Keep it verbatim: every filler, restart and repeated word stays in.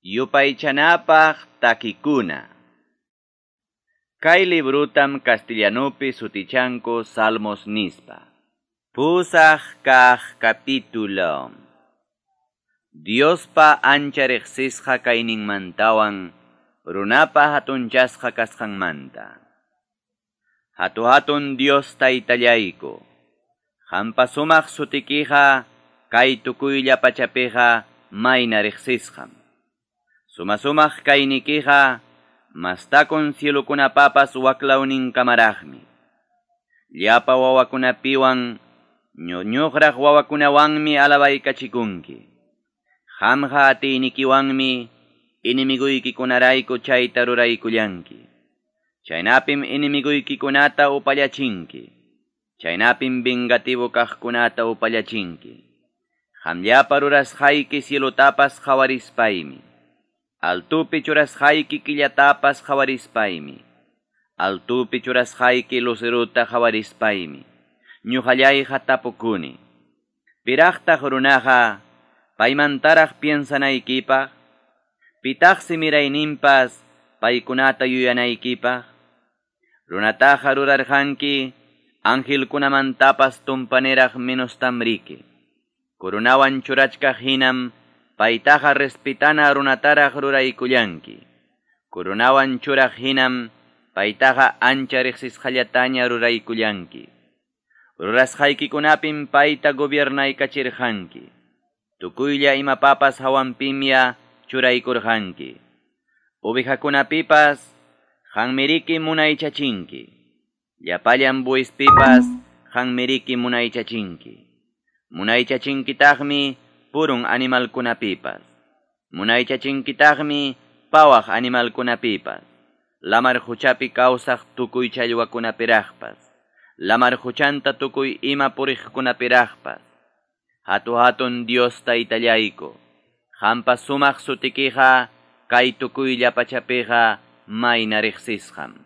Yupaychanapaq takikuna. Kay librutam castellanupi sutichanku Salmos nispa. Pusaq kaq capítulo. Diospa ancha riqsisqa kayninmantawan runapa hatunchasqa kasqanmanta. Hatu-hatun Dios taytallayku. Qampa sumaq sutikiqa kay tukuylla pachapiqa mayna riqsisqam. Suma-sumaq kaynikiqa mastakun cielukunapapas waklawninkamaraqmi. Llapa wawakunapiwan ñuñuqraq wawakunawanmi alabaykachikunki. Qamqa atiynikiwanmi inimiguykikunarayku chayta ruraykullanki. Chaynapim inimiguykikunata upallachinki. Chaynapim vengativo kaqkunata upallachinki. Qamllapa rurasqayki cielutapas qhawarispaymi. Altupi churasqayki killatapas qhawarispaymi. Altupi churasqayki luceruta qhawarispaymi. Ñuqallayqa tapukuni. Piraqtaq runaqa paymantaraq piensanaykipaq. Pitaqsi mirayninpas paykunata yuyanaykipaq. Runataqa rurarqanki angelkunamantapas tumpaniraq menostamriki. Corunawan churachkaq hinam paytaqa respetana runataraq ruraykullanki. Corunawan churaq hinam paytaqa ancha riqsisqallataña ruraykullanki. Rurasqaykikunapim payta gobiernaykacherqanki. Tukuylla imapapas hawanpimya churaykurqanki. Ovejakunapipas qanmiriki munaychachinki. Llapallan buispipas qanmiriki munaychachinki. Munaychachinkitaqmi purun animalkunapipas. Munaychachinkitaqmi pawaq animalkunapipas. Lamar huchapi kawsaq tukuy challwakunapiraqpas. Lamar huchanta tukuy ima puriqkunapiraqpas. Hatu-hatun Dios taytallayku. Qampa sumaq sutikiqa kay tukuylla pachapiqa mayna riqsisqam.